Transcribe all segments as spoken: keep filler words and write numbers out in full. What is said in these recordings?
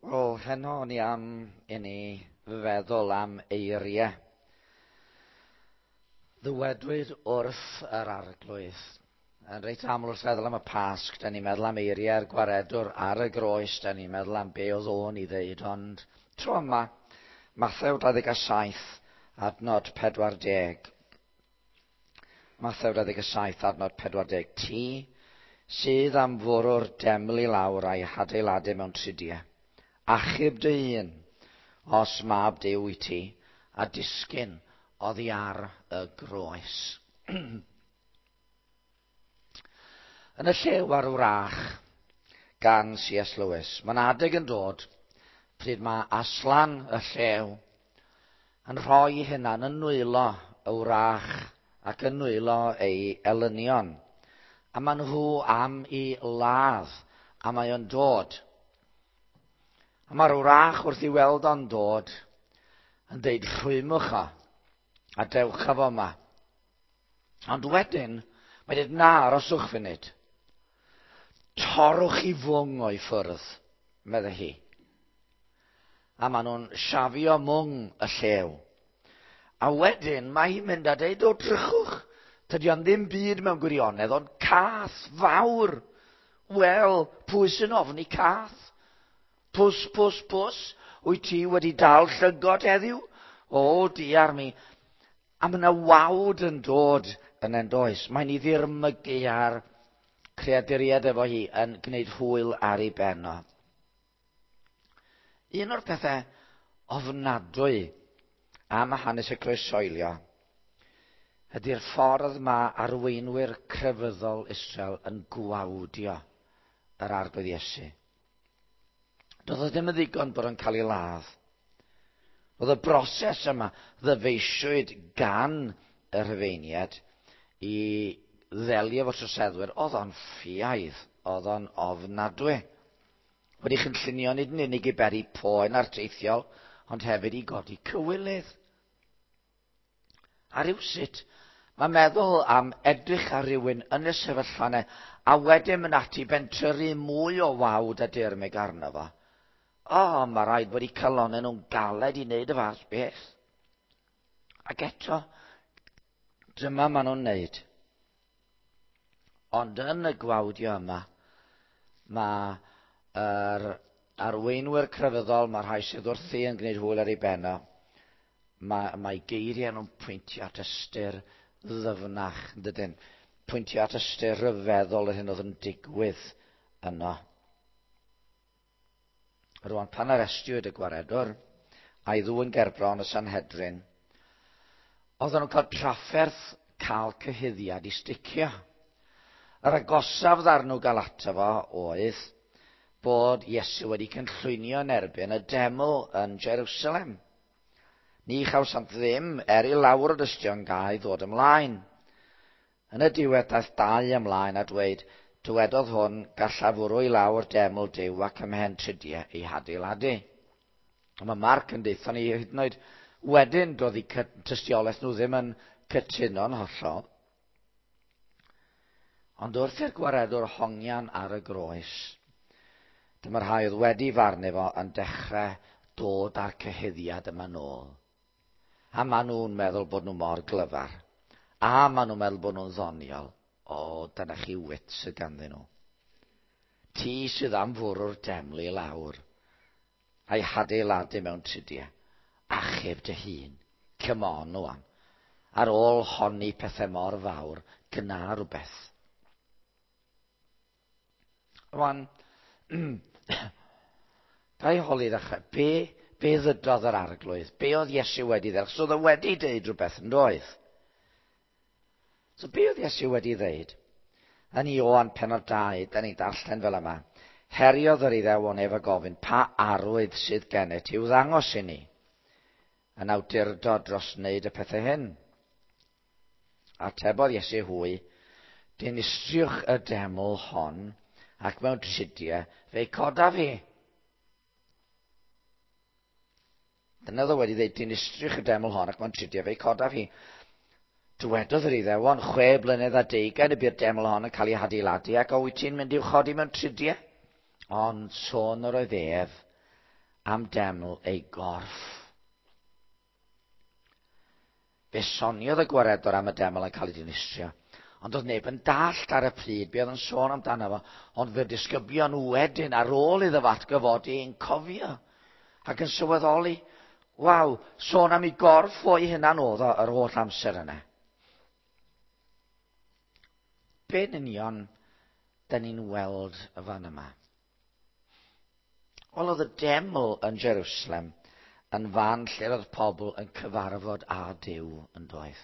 Wel, heno o'n i am i ni feddwl am eiriau ddywedwyd wrth yr Arglwydd. Yn reit aml wrth feddwl am y Pasg, da ni'n meddwl am eiriau'r gwaredwr ar y groes, da ni'n meddwl am be oedd o'n i ddeud, ond tro yma, Mathew dau ddeg saith, adnod pedwar deg. Mathew dau ddeg saith, adnod pedwar deg. Ti sydd am fwrw'r deml i lawr a'i hadeiladu mewn tridiau. Achub dy hun, os mab Duw i ti, a disgyn oddi ar y groes. Yn y Llew a'r Wrach gan C S Lewis, mae'n adeg yn dod pryd mae Aslan y llew yn rhoi hunan yn nwylo y wrach ac yn nwylo ei elynion. A maen nhw am i ladd, a mae o'n dod. A mae'r wrach wrth i weld o'n dod yn deud rhwymwch o a dewch â fo yma. Ond wedyn, mae'n dweud na, aroswch funud. Torrwch i fwng o'i ffwrdd, meddai hi. A maen nhw'n siafio mwng y llew. A wedyn mae hi'n mynd a deud, o drychwch, tydi o'n ddim byd mewn gwirionedd, ond cath fawr. Wel, pwy sy'n ofni cath? Pws, pws, pws, wyt ti wedi dal llygod heddiw? O, diar mi. A mae yna wawd yn dod yn endoes. Mae'n ei ddirmygu ar creaduriaid efo hi yn gwneud hwyl ar ei ben o. Un o'r pethau ofnadwy am hanes y croeshoelio ydy'r ffordd mae arweinwyr crefyddol Israel yn gwawdio yr Arglwydd Iesu. Doedd o ddim yn ddigon bod o'n cael ei ladd. Oedd y broses yma ddyfeisiwyd gan y Rhufeiniaid i ddelio efo troseddwyr, oedd o'n ffiaidd, oedd o'n ofnadwy. Wedi chynllunio nid yn unig i beri poen arteithiol, ond hefyd i godi cywilydd. A rywsut, mae meddwl am edrych ar rywun yn y sefyllfa yna, a wedyn mynd ati bentyrru mwy o wawd a dirmyg arno fo. O, mae rhaid bod eu calonnau nhw'n galed i wneud y fath beth. Ac eto, dyma maen nhw'n wneud. Ond yn y gwawdio yma, mae yr arweinwyr crefyddol, mae rhai sydd wrthi yn gwneud hwyl ar ei ben o, mae, mae geiriau nhw'n pwyntio at ystyr ddyfnach, yn dydyn? Pwyntio at ystyr rhyfeddol yr hyn oedd yn digwydd yno. Rwan, pan arestiwyd y gwaredwr a'i ddwyn gerbron y Sanhedrin, oedden nhw'n cael trafferth cael cyhuddiad i sticio. Yr agosaf ddarn nhw gael ato fo oedd bod Iesu wedi cynllwynio yn erbyn y deml yn Jerusalem. Ni chawsant ddim er i lawr o dystion gau ddod ymlaen. Yn y diwedd daeth dau ymlaen a dweud, dywedodd hwn, gallaf fwrw i lawr deml Duw ac ymhen tridiau ei hadeiladu. A mae Marc yn deutha ni hyd yn oed wedyn doedd eu tystiolaeth nhw ddim yn cytuno'n hollol. Ond wrth i'r gwaredwr hongian ar y groes, dyma'r rhai oedd wedi farnu fo yn dechrau dod â'r cyhuddiad yma nôl. A maen nhw'n meddwl bod nhw mor glyfar. A maen nhw'n meddwl bod nhw'n ddoniol. O, dyna chi wit sydd ganddyn nhw. Ti sydd am fwrw'r deml i lawr, a'i hadeiladu mewn tridiau. Achub dy hun. Come on, wan. Ar ôl honni pethau mor fawr, gyna rhywbeth. Rwan, ga i holi ddechrau, be, be ddydodd yr Arglwydd? Be oedd Iesu wedi ddeud? So oedd o wedi deud rhywbeth yn doedd? So be oedd Iesu wedi ddeud? Yn Ioan pennod dau, da ni'n darllen fel yma. Heriodd yr Iddewon ef a gofyn, pa arwydd sydd gennyt i'w ddangos i ni? Yn awdurdod dros wneud y pethau hyn. Atebodd Iesu hwy, dinistriwch y deml hon, ac mewn tridiau fe'i codaf fi. Dyna oedd o wedi dweud, dinistriwch y deml hon, ac mewn tridiau fe'i codaf fi. Dywedodd yr Iddewon, chwe blynedd a deugain y bu'r deml hon yn cael ei hadeiladu, ac o wyt ti'n mynd i'w chodi mewn tridiau? Ond sôn yr oedd ef am deml ei gorff. Fe soniodd y gwaredwr am y deml yn cael ei dinistrio, ond oedd neb yn dallt ar y pryd be oedd yn sôn amdano fo, ond fe disgyblion wedyn ar ôl iddo fo atgyfodi yn cofio ac yn sylweddoli, waw, sôn am ei gorff o'i hunan oedd o yr holl amser yna. Be'n union da ni'n weld y fan yma? Wel, oedd y deml yn Jerusalem yn fan lle oedd pobl yn cyfarfod â Duw yn doedd.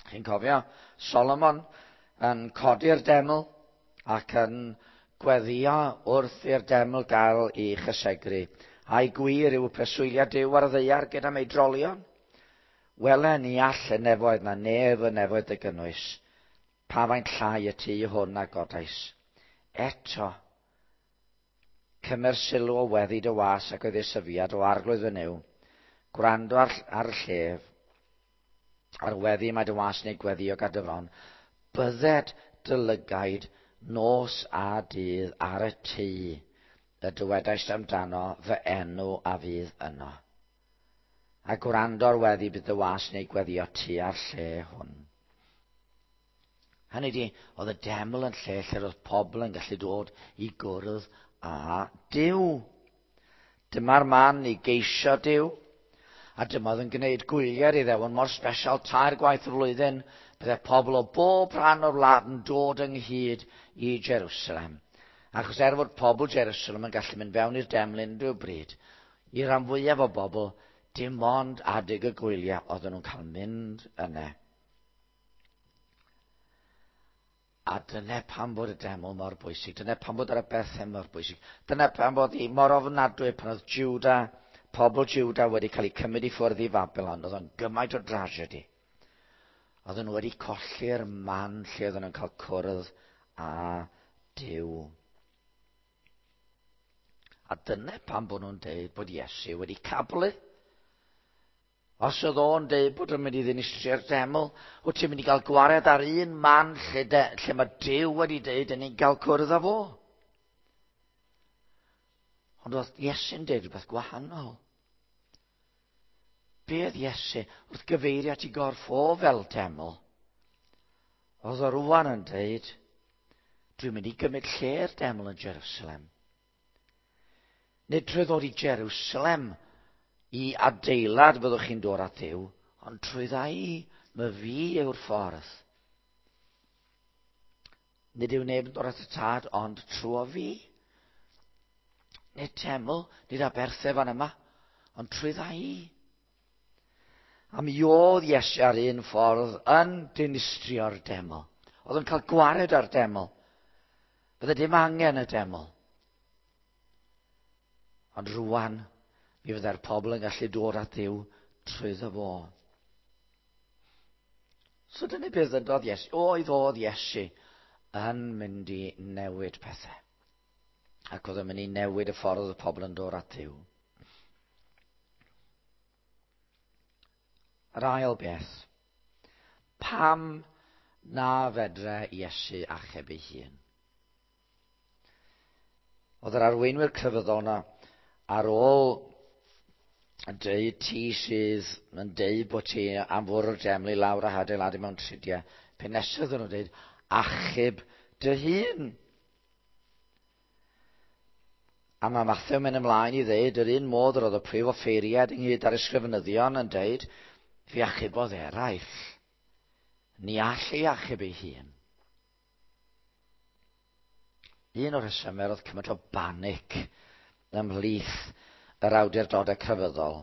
Chi'n cofio Solomon yn codi'r deml ac yn gweddio wrth i'r deml gael ei chysegru. A'i gwir yw preswyliad Duw ar y ddaear gyda meidrolion. Wele ni all y nefoedd na nef y nefoedd dy gynnwys. Pa faint llai y tŷ hwn a godais. Eto, cymer sylw o weddi dy was ac oedd ei syfiad o arglwydd fy Nuw. Gwrando ar, ar y llef, ar weddi mae dy was neu gweddio gad dy fron. Bydded dy lygaid nos a dydd ar y tŷ y dywedaist amdano fy enw a fydd yno. A gwrando ar weddi bydd dy was neu gweddio tu ar lle hwn. Hynny di, oedd y deml yn lle lle oedd pobl yn gallu dod i gwrdd â Duw. Dyma'r man i geisio Duw. A dyma oedd yn gwneud gwyliau'r Iddewon mor sbesial tair gwaith y flwyddyn. Bydde pobl o bob rhan o'r wlad yn dod ynghyd i Jerusalem. Achos er fod pobl Jerusalem yn gallu mynd fewn i'r deml unrhyw bryd, i ran fwyaf o bobl, dim ond adeg y gwyliau oedden nhw'n cael mynd yna. A dyna pam bod y deml mor bwysig, dyna pam bod yr aberthau mor bwysig, dyna pam bod hi mor ofnadwy pan oedd Juda, pobl Juda wedi cael eu cymryd i ffwrdd i Babylon, oedd o'n gymaint o dragedy. Oedden nhw wedi colli'r man lle oedden nhw'n cael cwrdd â Duw. A dyna pam bod nhw'n deud bod Iesu wedi cablu. Os oedd o'n deud bod o'n mynd i ddinistrio'r deml, wyt ti'n mynd i gael gwared ar un man lle, de, lle mae Duw wedi deud yn ni'n cael cwrdd â fo. Ond oedd Iesu'n deud rhywbeth gwahanol. Be oedd Iesu wrth gyfeirio at ei gorff o fel deml? Oedd o rwan yn deud, dwi'n mynd i gymryd lle'r deml yn Jerusalem. Nid trwy ddod i Jerusalem i adeilad fyddwch chi'n dod at Dduw, ond trwy ddau, mae fi yw'r ffordd. Nid yw neb yn dod at y tad, ond trwy fi. Nid teml, nid aberthau fan yma, ond trwy ddau. A mi oedd Iesu ar un ffordd yn dinistrio'r deml. Oedd yn cael gwared ar deml. Bydde dim angen y deml. Ond rwan, mi fydde'r pobl yn gallu dod at Dduw trwyddo fo. So dyna beth ddydodd Iesu. Oedd oedd Iesu yn mynd i newid pethau. Ac oedd yn mynd i newid y ffordd oedd y pobl yn dod at Dduw. Yr ail beth. Pam na fedre Iesu achub ei hun? Oedd yr arweinwyr crefyddol yna ar ôl yn deud ti sydd yn deud bod ti am fwrw'r deml i lawr a hadeiladu mewn tridiau, pe nesaf oedden nhw'n deud, achub dy hun. A mae Mathew mynd ymlaen i ddeud, yr un modd yr oedd y prif offeiriad ynghyd â'r ysgrifenyddion yn deud, fi achubodd eraill. Ni all ei achub ei hun. Un o'r rhesymau oedd cymaint o banic ymhlith yr awdurdodau crefyddol,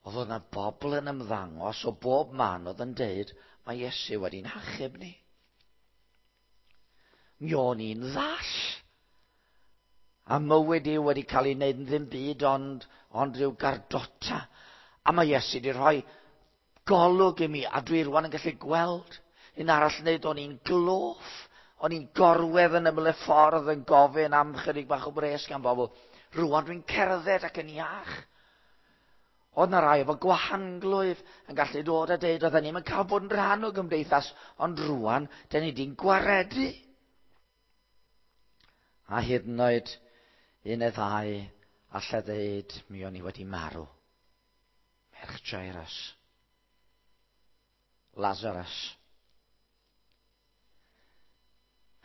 oedd oedd yna bobl yn ymddangos o bob man oedd yn deud, mae Iesu wedi'n hachub ni. Mi o'n i'n ddall. A mywyd i wedi cael ei wneud yn ddim byd ond, ond rhyw gardota. A mae Iesu wedi rhoi golwg i mi, a dwi rwan yn gallu gweld. Un arall yn dweud, o'n i'n gloff. O'n i'n gorwedd yn ymyl y ffordd yn gofyn am chydig bach o bres gan bobl. Rwan dwi'n cerdded ac yn iach. Oedd na rai efo gwahanglwyf yn gallu dod a deud oedden ni'm yn cael bod yn rhan o gymdeithas, ond rwan, dyn ni di'n gwaredu. A hyd yn oed un neu ddau allai ddeud, mi o'n i wedi marw. Merch Jairus. Lazarus.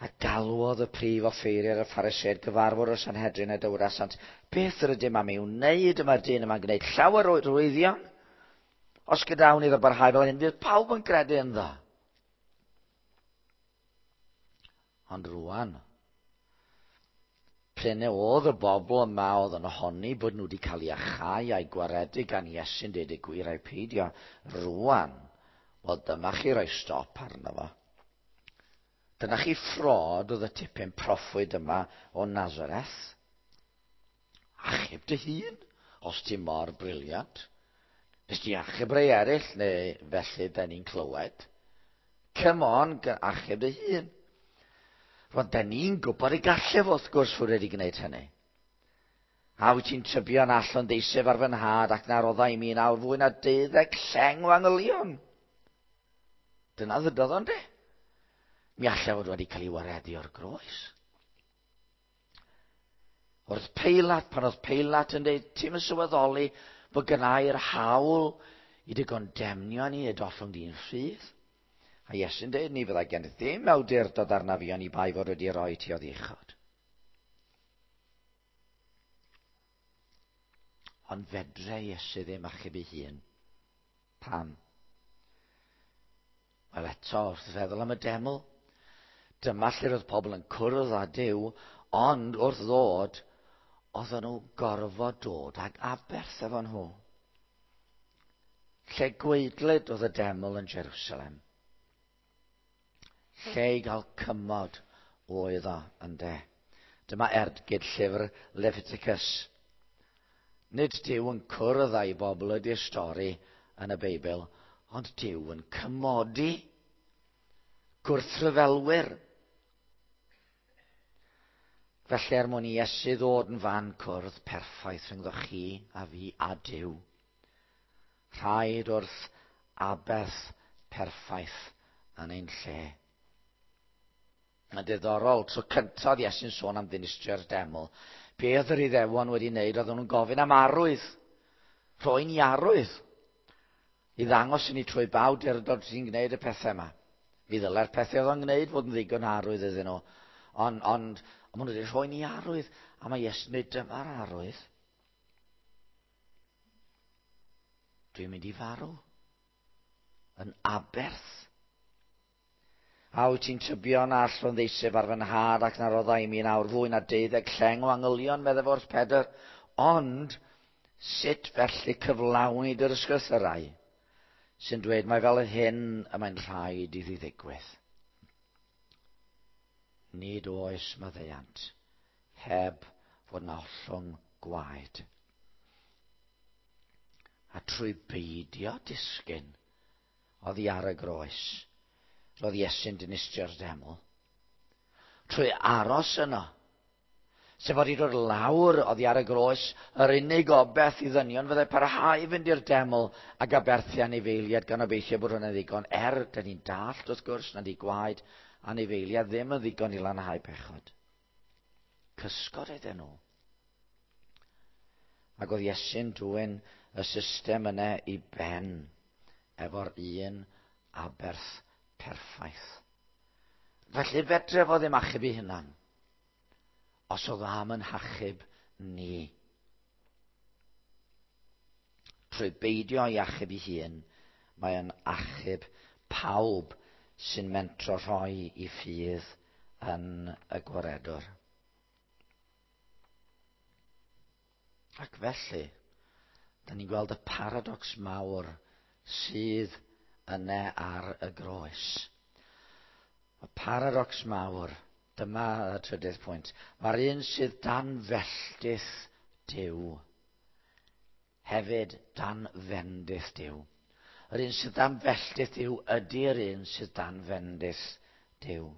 A galwodd y prif offeiriad y Phariseaid gyfarfod o'r Sanhedrin a dywedasant, beth yr ydym am ei wneud yma'r dyn yma'n gwneud llawer o rwyddion? Os gydawn iddo barhau fel hyn, fydd pawb yn credu ynddo. Ond rwan, prin oedd y bobl yma oedd yn honni bod nhw wedi cael eu achau a'i gwaredu gan Iesu'n deud y gwir a'i peidio. Rwan, wel dyma chi roi stop arno fo. Dyna chi ffrod oedd y tipyn proffwyd yma o Nazareth. Achub dy hun, os ti mor briliant. Nes ti achub rei eraill, neu felly da ni'n clywed. Come on, achub dy hun. Rwan, da ni'n gwybod y gallai fo wrth gwrs fod wedi gwneud hynny. A wyt ti'n tybio na allwn ddeiseb ar fy nhad ac na roddai i mi nawr fwy na deuddeg lleng o angylion. Dyna ddydodd o'n de. Mi allai fod wedi cael ei waredu o'r groes. Wrth Peilat, pan oedd Peilat yn dweud, ti'n yn sylweddoli bod gynnau'r hawl i dy gondemnio ni y dollwng di'n rhydd. A Iesu'n dweud, ni fyddai gen i ddim awdurdod arna fi oni bai fod wedi rhoi ti oddi uchod. Ond fedre Iesu ddim achub ei hun. Pam? Wel eto, wrth feddwl am y deml, dyma lle roedd pobl yn cwrdd â Duw, ond wrth ddod, oedden nhw gorfod dod ag aberth efo nhw. Lle gwaedlyd oedd y deml yn Jerusalem. Lle i gael cymod oedd o ynde. Dyma ergyd llyfr Leviticus. Nid Duw yn cwrdd â'i bobl ydy'r stori yn y Beibl, ond Duw yn cymodi gwrthryfelwyr. Felly er mwyn i Iesu ddod yn fan cwrdd perffaith rhyngddo chi a fi a Duw, rhaid wrth aberth perffaith yn ein lle. Mae'n diddorol, tro cyntaf Iesu'n sôn am ddinistrio'r deml. Be oedd yr Iddewon wedi wneud, oedden nhw'n gofyn am arwydd, rhoi'n i arwydd, i ddangos i ni trwy ba awdurdod sy'n gwneud y pethau yma. Mi ddylai'r pethau oedd o'n gwneud fod yn ddigon arwydd iddyn nhw. Ond, ond, ond maen nhw wedi rhoi ni arwydd, a mae Iesu'n dweud dyma'r arwydd. Dwi'n mynd i farw. Yn aberth. A wyt ti'n tybio na allwn ddeiseb ar fy nhad ac na roddai i mi nawr fwy na deuddeg lleng o angylion, meddai wrth Pedr. Ond sut felly cyflawni dy'r ysgrythurau sy'n dweud mai fel hyn y mae'n rhaid iddi ddigwydd. Nid oes maddeuant heb fod na ollwng gwaed. A trwy beidio disgyn oddi ar y groes, roedd Iesu'n dinistrio'r deml. Trwy aros yno, sef wedi dod lawr oddi ar y groes, yr unig obaith i ddynion fyddai parhau i fynd i'r deml ac aberthu anifeiliaid gan obeithio bod hwnna'n ddigon. Er, dyn ni'n dallt wrth gwrs nad i gwaed anifeiliaid ddim yn ddigon i lanhau pechod. Cysgod oedden nhw. Ac oedd Iesu'n dwyn y system yna i ben efo'r un aberth perffaith. Felly fedre fo ddim achub ei hunan, os oedd am yn hachub ni. Trwy beidio i achub ei hun, mae yn achub pawb sy'n mentro rhoi i ffydd yn y gwaredwr. Ac felly, da ni'n gweld y paradox mawr sydd yna ar y groes. Y paradox mawr, dyma y trydydd pwynt. Mae'r un sydd dan felltith Duw, hefyd dan fendith Duw. Yr un sydd dan felltith Duw ydy'r un sydd dan fendith Duw.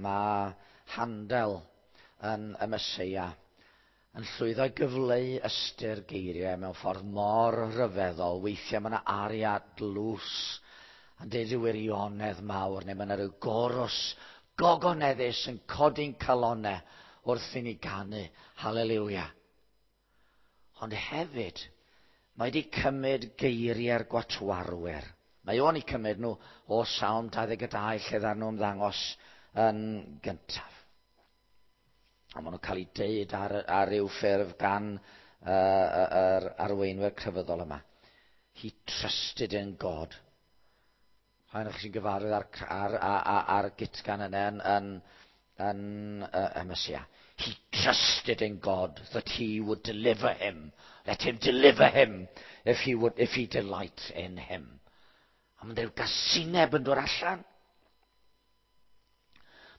Mae Handel yn y Meseia yn llwyddo i gyfleu ystyr geiriau mewn ffordd mor rhyfeddol. Weithiau mae yna aria dlws yn deud rhyw wirionedd mawr, neu mae yna rhyw gorws gogoneddus yn codi'n calonau wrth i ni ganu. Haleliwia. Ond hefyd, mae wedi cymryd geiriau'r gwatwarwyr. Mae o'n eu cymryd nhw o Salm dau ddeg dau lle ddaru nhw ymddangos yn gyntaf. A maen nhw'n cael eu deud ar, ar ryw ffurf gan uh, yr arweinwyr crefyddol yma. He trusted in God. Rhaid o'ch chi'n gyfarwydd ar, ar, ar, ar gitgan yna yn, yn, yn uh, y Mesia. He trusted in God that he would deliver him. Let him deliver him if he, would, if he delight in him. A mae'n rhyw gasineb yn dod allan.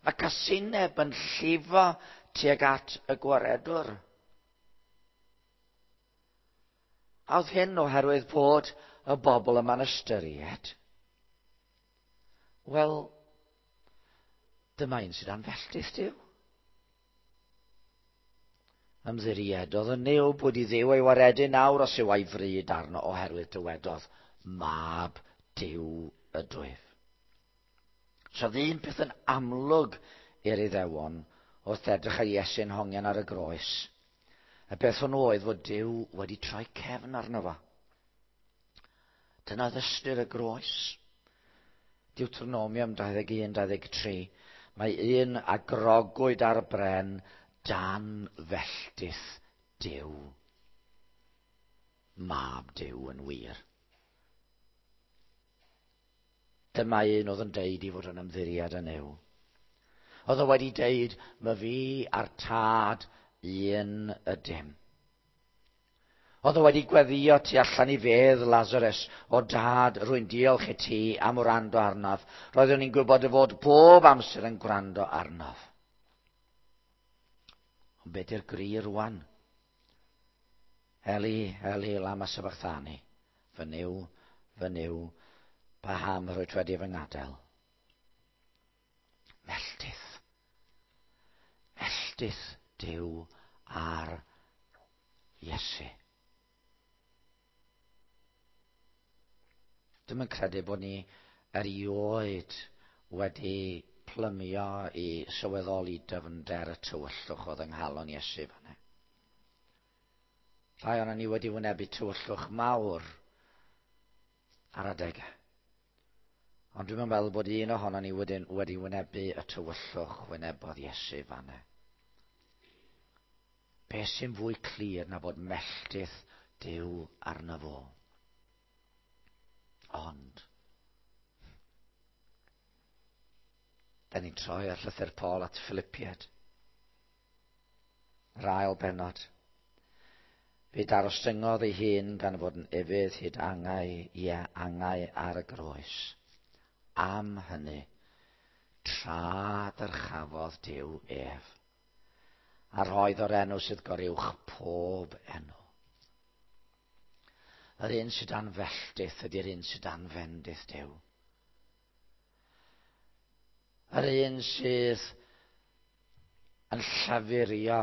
Mae casineb yn llifo tuag at y gwaredwr. A oedd hyn oherwydd bod y bobl yma'n ystyried. Wel, dyma un sydd dan felltith Duw. Ymddiriedodd yn Nuw bod i Dduw ei waredu nawr os yw a'i fryd arno oherwydd dywedodd, Mab Duw ydwyf. So oedd un peth yn amlwg i'r Iddewon wrth edrych ar Iesu'n hongian ar y groes. Y beth hwnnw oedd fod Duw wedi troi cefn arno fo. Dyna oedd ystyr y groes. Deuteronomium dau ddeg un dau ddeg tri. Mae un a grogwyd ar bren dan felltith Duw. Mab Duw yn wir. Dyma un oedd yn deud i fod yn ymddiried yn Nuw. Oedd o wedi deud, mae fi a'r tad un ydym. Oedd o wedi gweddio tu allan i fedd Lazarus, o dad, rwy'n diolch i ti am wrando arnaf. Roeddwn i'n gwybod y fod bob amser yn gwrando arnaf. Ond be di'r gri rwan? Eli, Eli, lama sabachthani. Fy Nuw, fy Nuw, paham rwyt wedi fy ngadael? Melltith. Melltith Duw ar Iesu. Dwi'm yn credu bod ni erioed wedi plymio i sylweddoli dyfnder y tywyllwch oedd yng nghalon Iesu fan'na. Rhai ohonon ni wedi wynebu tywyllwch mawr ar adegau. Ond dwi'm yn meddwl bod un ohonon ni wedi, wedi wynebu y tywyllwch wynebodd Iesu fan'na. Be sy'n fwy clir na bod melltith Duw arno fo? Ond, da ni'n troi ar llythyr Paul at Philippiaid. Yr ail bennod. Fe darostyngodd ei hun gan fod yn ufudd hyd angau, ie, angau ar y groes. Am hynny, tra dyrchafodd Duw ef, a roedd o'r enw sydd goruwch pob enw. Yr un sydd dan felltith ydy'r un sydd dan fendith Duw. Yr un sydd yn llafurio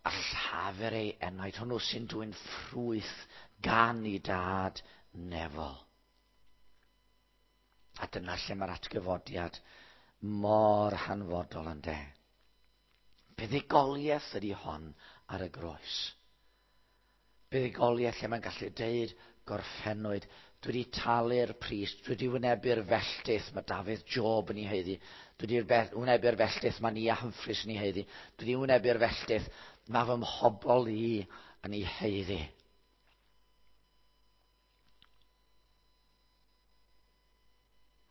a llafur ei enaid, hwnnw sy'n dwyn ffrwyth gan ei dad nefol. A dyna lle mae'r atgyfodiad mor hanfodol yn de. Buddugoliaeth ydy hon ar y groes. Buddugoliaeth lle mae'n gallu deud gorffennwyd, dwi wedi talu'r pris, dwi wedi wynebu'r felltith mae Dafydd Job yn ei haeddu, dwi wedi wynebu'r felltith mae Nia Humphreys yn ei haeddu, dwi wedi wynebu'r felltith mae fy mhobol i yn ei haeddu.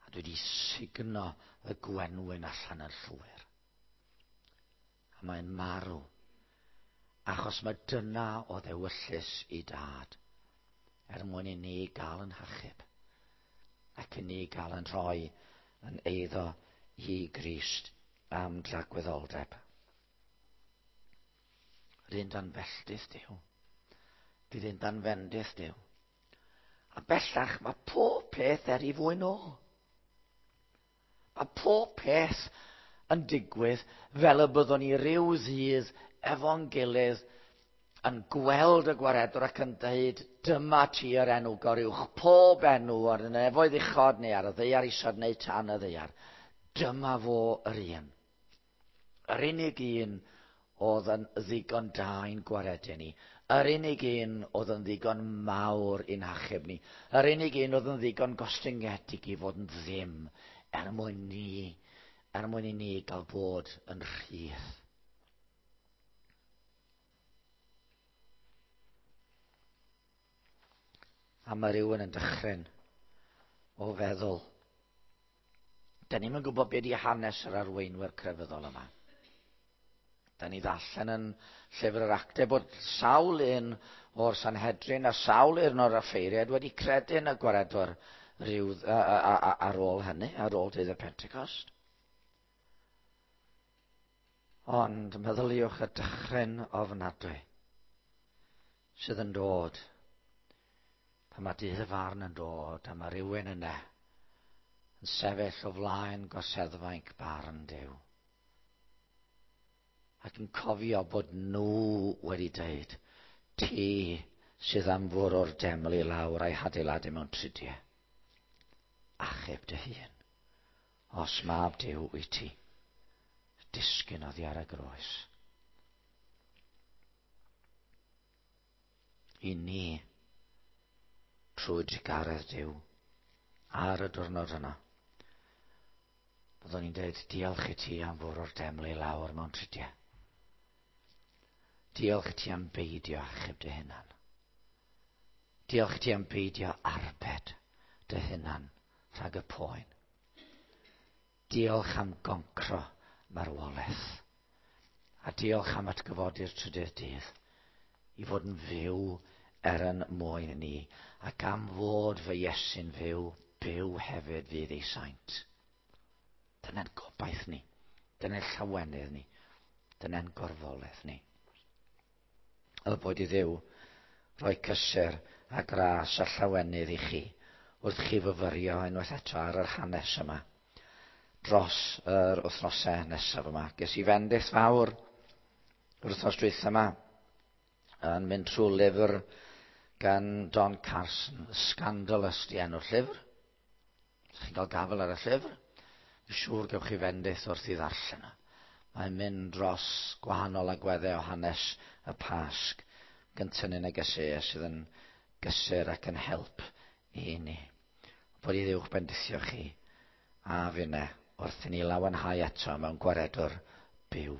A dwi wedi sugno y gwenwyn allan yn llwyr. A mae'n marw, achos mae dyna o ddewyllys i dad, er mwyn i ni gael yn hachub, ac i ni gael yn rhoi yn eiddo i Grist am dragwyddoldeb. Yr un dan felltith Duw, bydd un dan fendith Duw. A bellach mae pob peth er i fwyn ôl. Mae pob peth yn digwydd fel y byddwn ni ryw ddydd efo'n gilydd Yn gweld y gwaredwr ac yn dweud, dyma ti yr enw goruwch pob enw ar y nefoedd uchod neu ar y ddaear isod neu tan y ddaear. Dyma fo yr un. Yr unig un oedd yn ddigon da i'n gwaredu ni. Yr unig un oedd yn ddigon mawr i'n hachub ni. Yr unig un oedd yn ddigon gostyngedig i fod yn ddim er mwyn ni, er mwyn i ni gael bod yn rhydd. A mae rhywun yn dychryn o feddwl. Da ni'm yn gwybod beth ydi hanes yr arweinwyr crefyddol yma. Da ni ddarllen yn llyfr yr Actau bod sawl un o'r Sanhedrin a sawl un o'r offeiriaid wedi credu yn y gwaredwr rhyw, a, a, a, ar ôl hynny, ar ôl dydd y Pentecost. Ond meddyliwch y dychryn ofnadwy sydd yn dod pan mae dydd y farn yn dod a mae rhywun yna yn sefyll o flaen gorseddfainc barn Duw. Ac yn cofio bod nhw wedi dweud, ti sydd am fwrw'r deml i lawr a'i hadeiladu mewn tridiau. Achub dy hun, os mab Duw wyt ti, disgyn oddi ar y groes. I ni, trwy drugaredd Duw, ar y diwrnod yna, byddwn ni'n dweud, diolch i ti am fwrw'r deml i lawr mewn tridiau. Diolch i ti am beidio achub dy hunan. Diolch i ti am beidio arbed dy hunan rhag y poen. Diolch am goncro marwolaeth. A diolch am atgyfodi'r trydydd dydd i fod yn fyw er yn mwyn ni. Ac am fod fy Iesu'n fyw, byw hefyd fydd ei saint. Dyna'n gobaith ni. Dyna'n llawenydd ni. Dyna'n gorfoledd ni. Y boed i Dduw roi cysur a gras a llawenydd i chi wrth chi fyfyrio unwaith eto ar yr hanes yma dros yr wythnosau nesaf yma. Ges i fendith fawr yr wythnos dwytha yma yn mynd trwy lyfr gan Don Carson, Scandalous di enw'r llyfr. Os chi'n cael gafael ar y llyfr, fi'n siŵr gewch chi fendith wrth i ddarllen o. Mae'n mynd dros gwahanol agweddau o hanes y Pasg gyntaf yn negeseuau sydd yn gysur ac yn help i ni. Bod i Dduw bendithio chi a finne wrth i ni lawenhau eto mewn gwaredwr byw.